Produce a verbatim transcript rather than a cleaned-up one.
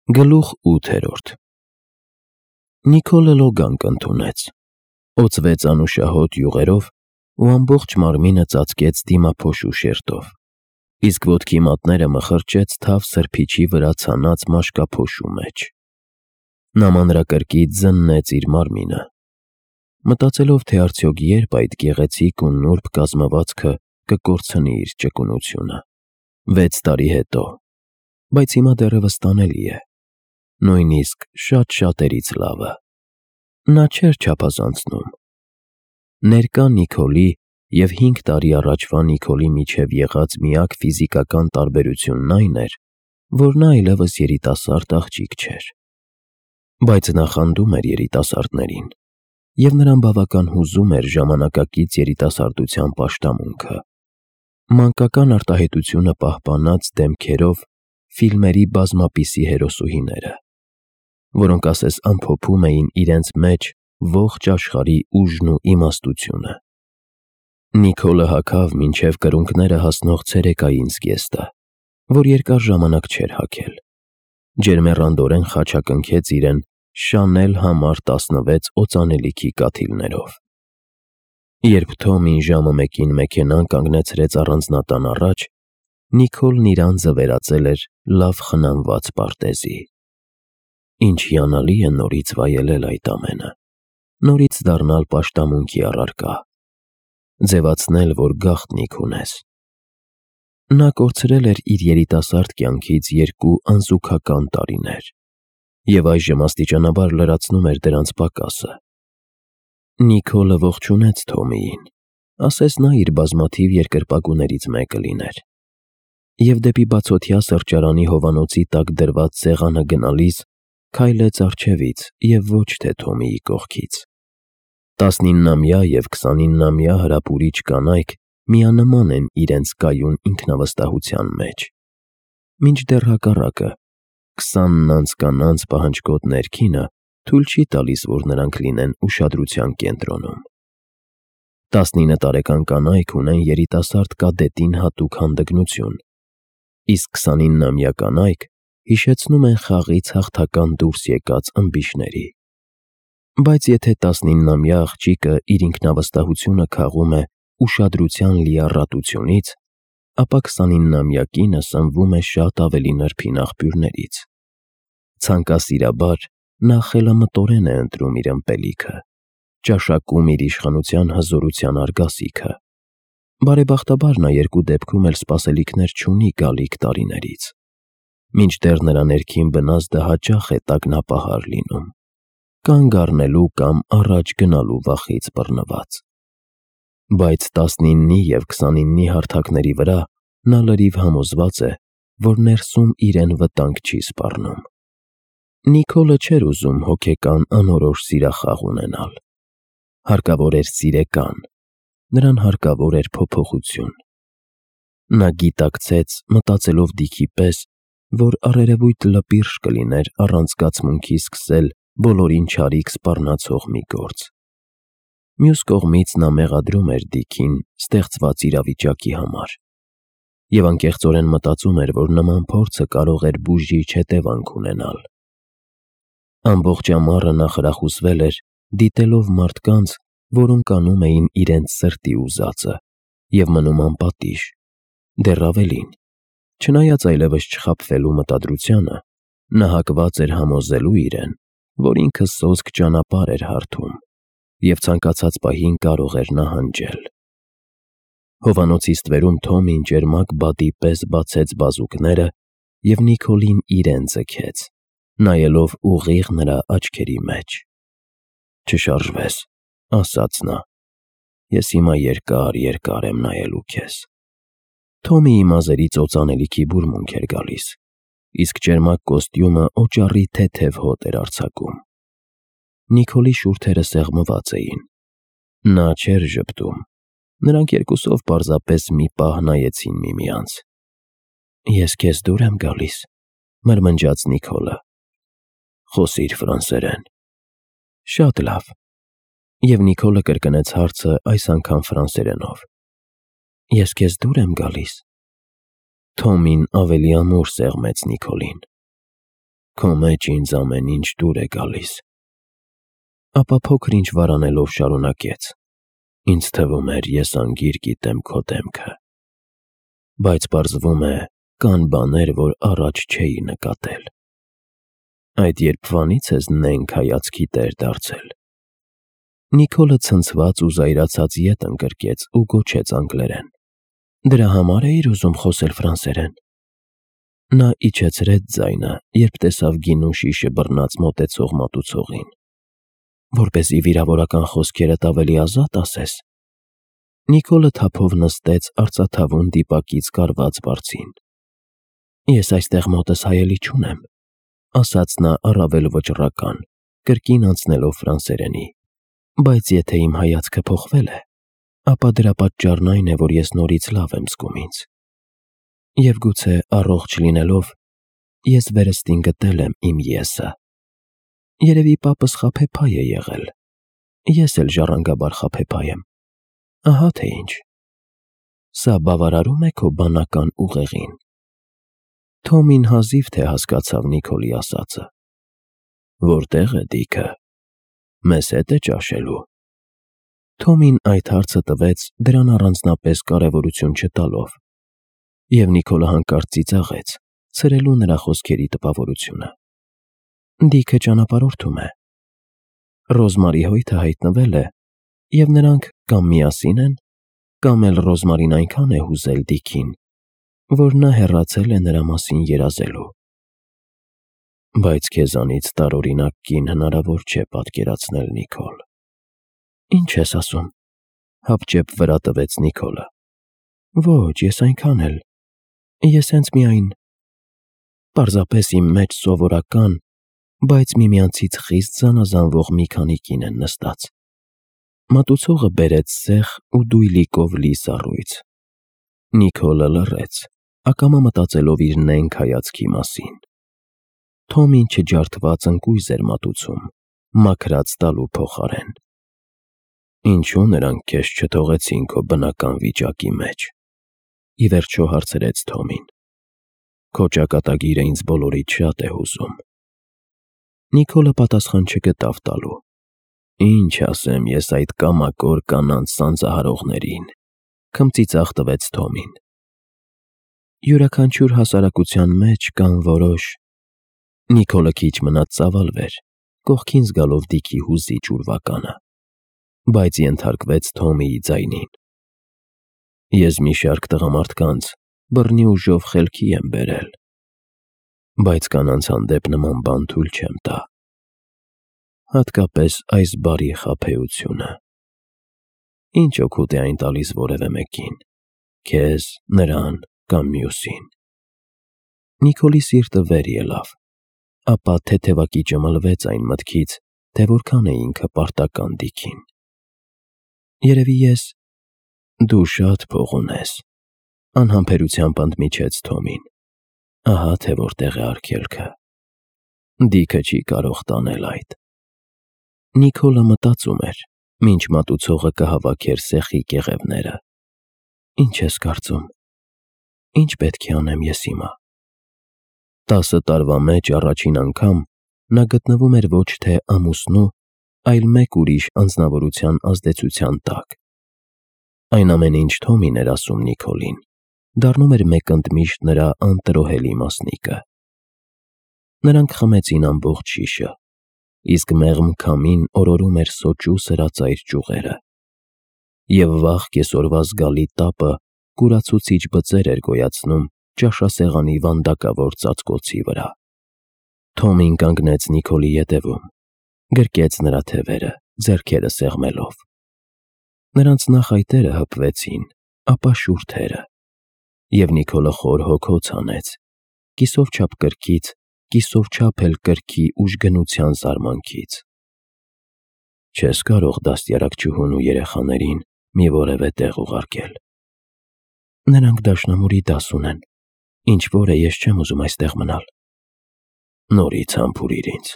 Գլուխ ութերորդ Նիկոլը լոգանք ընդունեց, օծվեց անուշահոտ յուղերով ու ամբողջ մարմինը ծածկեց դիմափոշու շերտով, իսկ ոտքի մատները մխրճեց թավ սրբիչի վրա ցանած մաշկափոշու մեջ։ Նա մանրակրկիտ զննեց իր մարմինը, մտածելով, թե արդյոք երբ այդ գեղեցիկ ու նուրբ կազմվածքը կկորցնի իր ճկունությունը։ Վեց տարի հետո, բայց հիմա դեռևս տանելի է, նույնիսկ շատ-շատերից լավը։ Նա չէր չափազանցնում։ Ներկա Նիկոլի և հինգ տարի առաջվա Նիկոլի միջև եղած միակ ֆիզիկական տարբերությունն այն էր, որ նա այլևս երիտասարդ աղջիկ չէր։ Բայց նա խանդում էր երիտասարդներին, և նրան բավական հուզում էր ժամանակակից երիտասարդության պաշտամունքը, մանկական արտահայտությունը պահպանած դեմքերով ֆիլմերի բազմապիսի հերոսուհիները, որոնք ասես ամփոփում էին իրենց մեջ ողջ աշխարհի ուժն ու իմաստությունը։ Նիկոլը հագավ մինչև կրունկները հասնող ցերեկային զգեստը, որ երկար ժամանակ չէր հագել, ջերմեռանդորեն խաչակնքեց իրեն Շանել համար տասնվեց օծանելիքի կաթիլներով։ Երբ Թոմին ժամը մեկին մեքենան կանգնեցրեց առանձնատան առաջ, Նիկոլն իր անձը վերածել էր լավ խնամված պարտեզի։ Ինչ հիանալի է նորից վայելել այդ ամենը, նորից դառնալ պաշտամունքի առարկա, ձևացնել, որ գաղտնիք ունես։ Նա կորցրել էր իր երիտասարդ կյանքից երկու անզուգական տարիներ և այժմ աստիճանաբար լրացնում էր դրանց պակասը։ Նիկոլը ողջունեց Թոմիին, ասես նա իր բազմաթիվ երկրպագուներից մեկը լիներ, և դեպի բացօթյա սրճարանի հովանոցի տակ դրված սեղանը գնալիս քայլեց առջևից և ոչ թե Թոմիի կողքից։ Տասնիննամյա և քսանիննամյա հրապուրիչ կանայք միանման են իրենց կայուն ինքնավստահության մեջ, մինչդեռ հակառակը, քսանն անց կանանց պահանջկոտ ներքինը թույլ չի տալիս, որ նրանք լինեն ուշադրության կենտրոնում։ Տասնինը տարեկան կանայք ունեն երիտասարդ կադետին հատուկ հանդգնություն, իսկ քսանիննամյա կանայք հիշեցնում են խաղից հաղթական դուրս եկած ըմբիշների։ Բայց եթե տասնիննամյա աղջիկը իր ինքնավստահությունը քաղում է ուշադրության լիառատությունից, ապա քսանիննամյա կինը սնվում է շատ ավելի նրբին աղբյուրներից։ Ցանկասիրաբար նա խելամտորեն է ընտրում իր ըմպելիքը, ճաշակում իր իշխանության հզորության արգասիքը։ Բարեբախտաբար նա երկու դեպքում էլ սպասելիքներ չունի գալիք տարիներից, մինչդեռ նրա ներքին բնազդը հաճախ է տագնապահար լինում, կանգ առնելու կամ առաջ գնալու վախից բռնված։ Բայց տասնիննի և քսանիննի հարթակների վրա նա լրիվ համոզված է, որ ներսում իրեն վտանգ չի սպառնում։ Նիկոլը չէր ուզում հոգեկան անորոշ սիրախաղ ունենալ։ Հարկավոր էր սիրեկան, նրան հարկավոր էր փոփոխություն։ Նա գիտակցեց, մտածելով դիքի պես, որ առերևույթ լպիրշ կլիներ առանց զգացմունքի սկսել բոլորին չարիք սպառնացող մի գործ։ Մյուս կողմից նա մեղադրում էր դիքին ստեղծված իրավիճակի համար և անկեղծորեն մտածում էր, որ նման փորձը կարող էր բուժիչ հետևանք ունենալ։ Ամբողջ ամառը նա խրախուսվել էր, դիտելով մարդկանց, որոնք անում էին իրենց սրտի ուզածը և մնում անպատիժ, դեռ ավելին, չնայած այլևս չխաբվելու մտադրությանը, նա հակված էր համոզելու իրեն, որ ինքը սոսկ ճանապարհ էր հարթում և ցանկացած պահին կարող էր նահանջել։ Հովանոցի ստվերում Թոմին ճերմակ բադի պես բացեց բազուկները և Նիկոլին իրեն ձգեց, նայելով ուղիղ նրա աչքերի մեջ։ «Չշարժվես», ասաց նա, «ես հիմա երկար֊երկար եմ նայելու քեզ»։ Թոմիի մազերից օծանելիքի բուրմունք էր գալիս, իսկ ճերմակ կոստյումը օճառի թեթև հոտ էր արձակում։ Նիկոլի շուրթերը սեղմված էին։ Նա չէր ժպտում։ Նրանք երկուսով պարզապես մի պահ նայեցին միմյանց։ «Ես քեզ դուր եմ գալիս», մրմնջաց Նիկոլը։ «Խոսիր ֆրանսերեն»։ «Շատ լավ»։ Եվ Նիկոլը կրկնեց հարցը այս անգամ ֆրանսերենով։ «Ես քեզ դուր եմ գալիս»։ Թոմին ավելի ամուր սեղմեց Նիկոլին։ Քո մեջ ինձ ամեն ինչ դուր է գալիս։ Ապա փոքր ինչ վարանելով շարունակեց. Ինձ թվում էր, ես անգիր գիտեմ քո դեմքը։ Բայց պարզվում է, կան բաներ, որ առաջ չէի նկատել։ Այդ երբվանից ես նենգ հայացքի տեր դարձել։ Նիկոլը ցնցված ու զայրացած ետ ընկրկեց ու գոչեց անգլերեն. Դրա համար էիր ուզում խոսել ֆրանսերեն։ Նա իջեցրեց ձայնը, երբ տեսավ գինու շիշը բռնած մոտեցող մատուցողին։ Որպեսզի վիրավորական խոսքերդ ավելի ազատ ասես։ Նիկոլը թափով նստեց արծաթավուն դիպակից կարված բարձին։ Ես այստեղ մոտս հայելի չունեմ, ասաց նա առավել վճռական, կրկին անցնելով ֆրանսերենի, բայց եթե իմ հայացքը փոխվել է, ապա դրա պատճառն այն է, որ ես նորից լավ եմ զգում ինձ։ Եվ գուցե առողջ լինելով, ես վերստին գտել եմ իմ եսը։ Երևի պապս խաբեբայ է եղել, ես էլ ժառանգաբար խաբեբայ եմ, ահա թե ինչ։ Սա բավարարում է քո բանական ուղեղին։ Թոմին հազիվ թե հասկացավ Նիկոլի ասածը։ Որտե՞ղ է Դիքը։ Մեզ հետ է ճաշելու։ Թոմին այդ հարցը տվեց դրան առանձնապես կարևորություն չտալով, և Նիկոլը հանկարծ ծիծաղեց, ցրելու նրա խոսքերի տպավորությունը։ Դիքը ճանապարհորդում է։ Ռոզմարի հոյթը հայտնվել է, և նրանք կամ միասին են, կամ էլ Ռոզմարին այնքան է հուզել Դիքին, որ նա հեռացել է նրա մասին երազելու։ Բայց քեզանից տարօրինակ կին հնարավոր չէ պատկերացնել, Նիկոլ։ Ինչ ես ասում, հապճեպ վրա տվեց Նիկոլը։ Ոչ, ես այնքան էլ, ես հենց միայն, պարզապես իմ մեջ սովորական, բայց միմյանցից խիստ զանազանվող մի քանի կին են նստած։ Մատուցողը բերեց սեխ ու դույլիկով լի սառույց։ Նիկոլը լռեց, ակամա մտածելով իր նենգ հայացքի մասին։ Թոմին չջարդված ընկույզ էր մատուցում, մաքրած տալու փոխարեն։ Ինչու նրանք քեզ չթողեցին քո բնական վիճակի մեջ, ի վերջո հարցրեց Թոմին։ Քո ճակատագիրը ինձ բոլորից շատ է հուզում։ Նիկոլը պատասխան չգտավ տալու։ Ինչ ասեմ ես այդ կամակոր կանանց սանձահարողներին, քմծիծաղ տվեց Թոմին։ Յուրաքանչյուր հասարակության մեջ կան որոշ… Նիկոլը քիչ մնաց ծավալվեր, կողքին զգալով Դիքի հուզիչ ուրվականը, բայց ենթարկվեց Թոմիի ձայնին։ Ես մի շարք տղամարդկանց բռնի ուժով խելքի եմ բերել, բայց կանանց հանդեպ նման բան թույլ չեմ տա։ Հատկապես այս բարի խաբեությունը։ Ինչ օգուտ է այն տալիս որևէ մեկին, քեզ, նրան կամ մյուսին։ Նիկոլի սիրտը վեր ելավ, ապա թեթևակի ճմլվեց այն մտքից, թե որքան է ինքը պարտական Դիքին։ Երևի ես… Դու շատ փող ունես, անհամբերությամբ ընդմիջեց Թոմին։ Ահա թե որտեղ է արգելքը։ Դիքը չի կարող տանել այդ։ Նիկոլը մտածում էր, մինչ մատուցողը կհավաքեր սեխի կեղևները։ Ինչ ես կարծում, ինչ պետք է անեմ ես հիմա։ Տասը տարվա մեջ առաջին անգամ նա գտնվում էր ոչ թե ամուսնու, այլ մեկ ուրիշ անձնավորության ազդեցության տակ։ Այն ամենը, ինչ Թոմին էր ասում Նիկոլին, դառնում էր մեկ ընդմիշտ նրա անտրոհելի մասնիկը։ Նրանք խմեցին ամբողջ շիշը, իսկ մեղմ քամին օրորում էր սոճու սրածայր ճյուղերը, և վաղ կեսօրվա զգալի տապը կուրացուցիչ բծեր էր գոյացնում ճաշասեղանի վանդակավոր ծածկոցի վրա։ Թոմին կանգնեց Նիկոլի ետևում, գրկեց նրա թևերը, ձեռքերը սեղմելով։ Նրանց նախայտերը հպվեցին, ապա շուրթերը, և Նիկոլը խոր հոգոց հանեց, կիսով չափ կրքից, կիսով չափ էլ կրքի ուժգնության զարմանքից։ Չես կարող դաստիարակչուհուն ու երեխաներին մի որևէ տեղ ուղարկել։ Նրանք դաշնամուրի դաս ունեն, ինչ որ է ես չեմ ուզում այստեղ մնալ։ Նորից համբուրիր ինձ։